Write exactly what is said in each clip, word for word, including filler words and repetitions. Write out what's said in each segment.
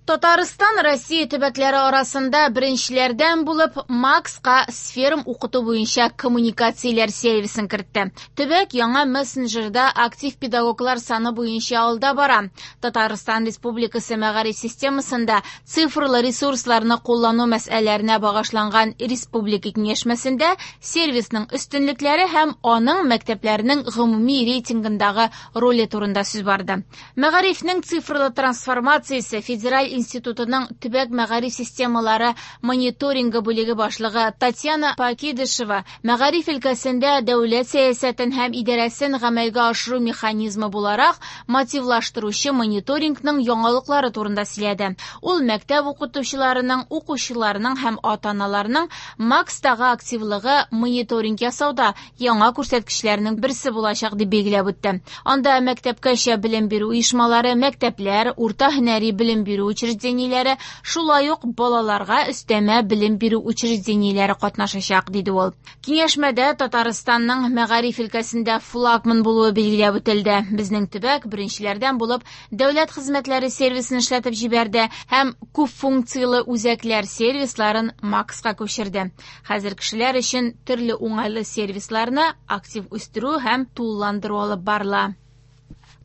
Татарстан Россия төбәкләре арасында беренчеләрдән булып Макска Сферум укыту буенча коммуникацияләр сервисын кертте. Төбәк яңа мессенджерда актив педагоглар саны буенча алда бара. Татарстан Республикасы мәгариф системасында цифрлы ресурсларны куллану мәсьәләләренә багышланган республика киңәшмәсендә сервисның өстенлекләре һәм аның мәктәпләрнең гомуми рейтингындагы роле турында сүз барды. Мәгарифнең цифрлы трансформациясе федераль институтының төбәк мәгариф системалары мониторингы бүлеге башлыгы Татьяна Покидышева мәгариф өлкәсендә дәүләт сәясәтен һәм идарәсен гамәлгә ашыру механизмы буларак мотивлаштыручы мониторингның яңалыклары турында сөйләде. Ул мәктәп укытучыларының, укучыларының һәм ата-аналарының Макстагы активлыгы мониторинг ясауда яңа күрсәткечләрнең берсе булачак дип билгеләп үтте. Анда мәктәпкәчә белем бирү оешмалары, мәктәпләр, урта һөнәри белем бирү учреждениеләре, шулай ук балаларга өстәмә белем бирү учреждениеләре катнашачак, диде ул. Киңәшмәдә Татарстанның мәгариф өлкәсендә флагман булуы билгеләп үтелде. Безнең төбәк беренчеләрдән булып дәүләт хезмәтләре сервисын эшләтеп җибәрде һәм күп функцияле үзәкләр сервисларын Макска күчерде. Хәзер кешеләр өчен төрле уңайлы сервисларны актив үстерү һәм тулыландыру алып барыла.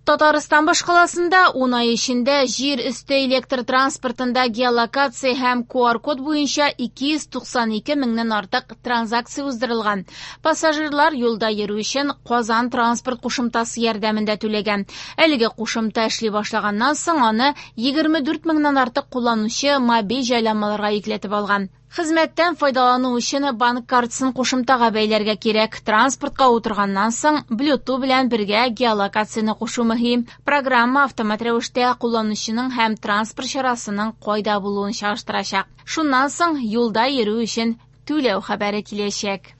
Татарстан башкаласында ун ай эчендә җир өсте электр транспортында геолокация һәм ку ар код буенча ике йөз туксан ике меңнән артык транзакция уздырылган. Пассажирлар юлда йөрү өчен Казан транспорт кушымтасы ярдәмендә түләгән. Әлеге кушымта эшли башлаганнан соң аны егерме дүрт меңнән артык кулланучы мобиль җайланмаларга йөкләтеп алган. Хезмәттән файдалану өчен банк картасын кушымтага бәйләргә кирәк. Транспортка утырганнан соң Bluetooth белән бергә геолокацияне кушу мөһим. Программа автомат рәвештә кулланучының һәм транспорт чарасының кайда булуын чагыштырачак. Шуннан соң юлда йөрү өчен түләү хәбәре киләчәк.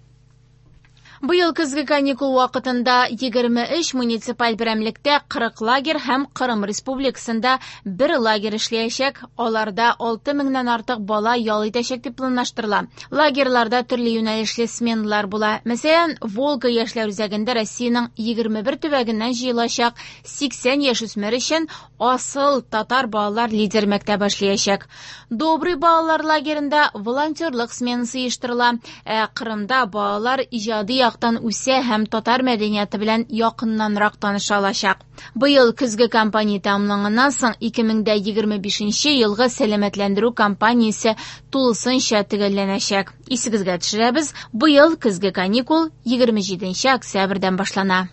Быел көзге каникул вакытында егерме өч муниципаль берәмлектә кырык лагерь һәм Кырым Республикасында бер лагерь эшләячәк. Аларда алты меңнән артык бала ял итәчәк дип планлаштырыла. Лагерьларда төрле юнәлешле сменалар була. Мәсәлән, Волга яшьләр үзәгендә Россиянең егерме бер төбәгеннән җыелачак сиксән яшүсмер өчен асыл татар балалар лидер мәктәбе эшләячәк. Добрый балалар лагерендә волонтерлык сменасы оештырыла. Ә Кырымда балалар иҗади яктан үсә һәм татар мәдәнияте белән якыннанрак таныша алачак. Быел көзге кампания тәмамланганнан соң ике мең дә егерме бишенче елгы сәламәтләндерү кампаниясе тулысынча төгәлләнәчәк. Исегезгә төшерәбез, быел көзге каникул егерме җиденче октябрьдән башлана.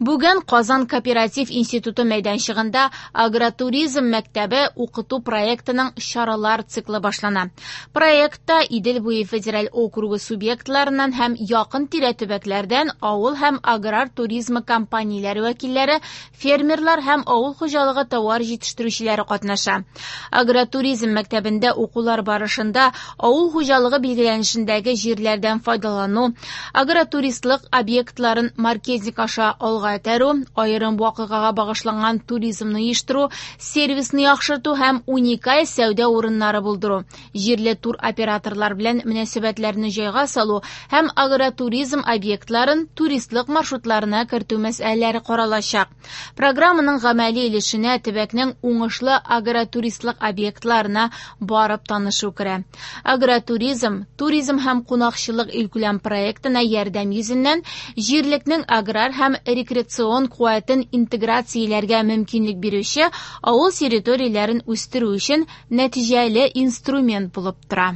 Бүген Казан кооператив институты мәйданчыгында агротуризм мәктәбе укыту проектының чаралар циклы башлана. Проектта Идел буе федераль округы субъектларыннан һәм якын тирә төбәкләрдән авыл һәм аграр туризмы компанияләре вәкилләре, фермерлар һәм авыл хуҗалыгы товар җитештерүчеләре катнаша. Агротуризм мәктәбендә укулар барышында авыл хуҗалыгы билгеләнешендәге җирләрдән файдалану, агротуристлык объектларын маркетинг аша алга этәрү, аерым вакыйгага багышланган туризмны оештыру, сервисны яхшырту һәм уникаль сәүдә урыннары булдыру, җирле тур операторлар белән мөнәсәбәтләрне җайга салу һәм агротуризм объектларын туристлык маршрутларына кертү мәсьәләләре каралачак. Программаның гамәли өлешенә төбәкнең уңышлы агротуристлык объектларына барып танышу керә. Агротуризм, туризм һәм кунакчылык илкүләм проектына ярдәм йөзеннән җирлекнең аграр һәм рекреацион куәтен интеграцияләргә мөмкинлек бирүче авыл территорияләрен үстерү өчен нәтиҗәле инструмент булып тора.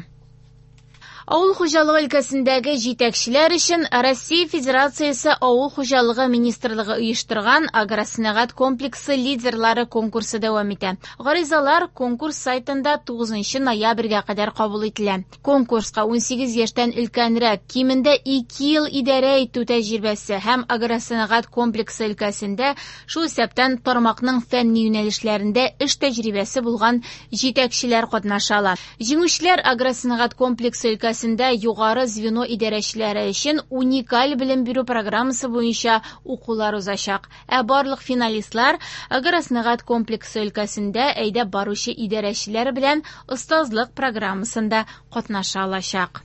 Авыл хуҗалыгы өлкәсендәге җитәкчеләр өчен Россия Федерациясе Авыл хуҗалыгы министрлыгы оештырган агросәнәгать комплексы лидерлары конкурсы дәвам итә. Гаризалар конкурс сайтында тугызынчы ноябрьгә кадәр кабул ителә. Конкурска унсигез яшьтән өлкәнрәк, кимендә ике ел идарә итү тәҗрибәсе һәм агросәнәгать комплексы өлкәсендә, шул исәптән тармакның фәнни юнәлешләрендә эш тәҗрибәсе булган җитәкчеләр катнаша ала. Җиңүчеләр агросәнәгать комплексы өлкәсендә югары звено идарәчеләре өчен уникаль белем бирү программасы буенча укулар узачак. Ә барлык финалистлар агросәнәгать комплексы өлкәсендә әйдәп баручы идарәчеләр белән остазлык программасында катнаша алачак.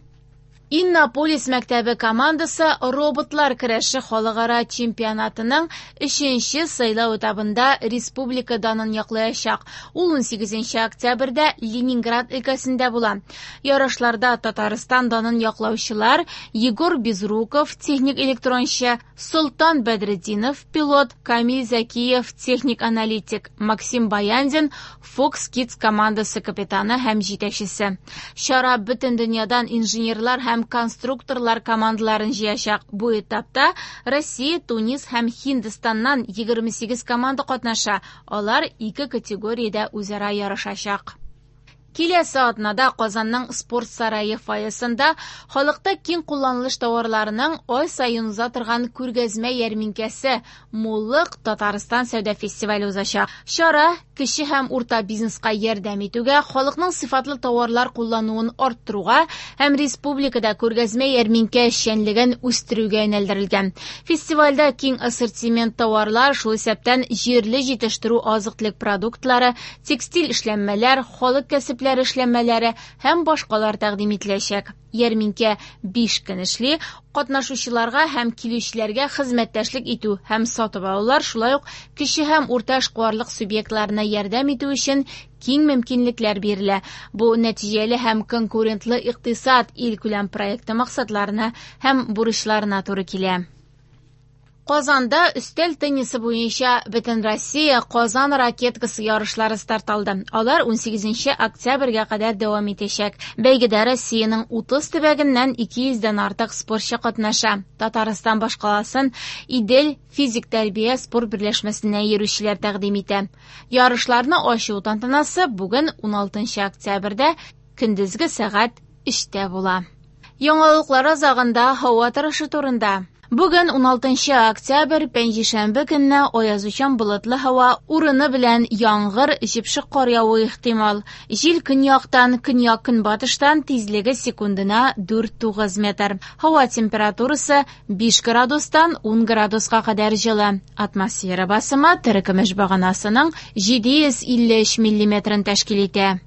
Иннополис мәктәбе командасы роботлар көрәше халыкара чемпионатының өченче сайлау этабында республика данын яклаячак. Ул унсигезенче октябрьдә Ленинград өлкәсендә була. Ярышларда Татарстан данын яклаучылар Егор Безруков, техник электрончы, Солтан Бәдретдинов, пилот, Камиль Закиев, техник аналитик, Максим Баяндин, Fox Kids командасы капитаны һәм җитәкчесе. Чара бөтен дөньядан инженерлар һәм конструкторлар командаларын җыячак. Бу этапта Россия, Тунис һәм Һиндстаннан егерме сигез команда катнаша. Алар ике категориядә үзара ярышачак. Киләсе атнада Казанның спорт сарае фойесында халыкта киң кулланылыш товарларының ай саен уза торган күргәзмә ярминкәсе Муллык Татарстан сәүдә фестивале узачак. Чара кече һәм урта бизнеска ярдәм итүгә, халыкның сыйфатлы товарлар куллануын арттыруга һәм республикада күргәзмә ярминкә эшчәнлеген үстерүгә юнәлдерелгән. Фестивальдә киң ассортимент товарлар, шул исәптән җирле җитештерү азык-төлек продуктлары, текстиль эшләнмәләр, халык кәсепләре эшләнмәләре һәм башкалар тәкъдим ителәчәк. Ярминкә биш көн эшли, катнашучыларга һәм килүчеләргә хезмәттәшлек итү һәм сатып алулар, шулай ук кече һәм урта эшкуарлык субъектларына ярдәм итү өчен киң мөмкинлекләр бирелә. Бу нәтиҗәле һәм конкурентлы икътисад илкүләм проекты максатларына һәм бурычларына туры килә. Казанда өстәл теннисы буенча Бөтенроссия Казан ракеткасы ярышлары старт алды. Алар унсигезенче октябрьгә кадәр дәвам итәчәк. Бәйгедә Россиянең утыз төбәгеннән ике йөздән артык спортчы катнаша. Татарстан башкаласын Идел физик тәрбия спорт берләшмәсенә йөрүчеләр тәкъдим итә. Ярышларны ачу тантанасы бүген уналтынчы октябрьдә көндезге сәгать өчтә була. Яңалыклар азагында һава торышы турында. Бүген уналтынчы октябрь, пәнҗешәмбе көнне аязучан болытлы һава, урыны белән яңгыр, җепшек кар явуы ихтимал. Җил көньяктан, көньяк-көнбатыштан тизлеге секундына дүрт тугыз метр. Һава температурасы биш градустан ун градуска кадәр җылы. Атмосфера басымы терекөмеш баганасының җиде йөз илле өч миллиметрын тәшкил итә.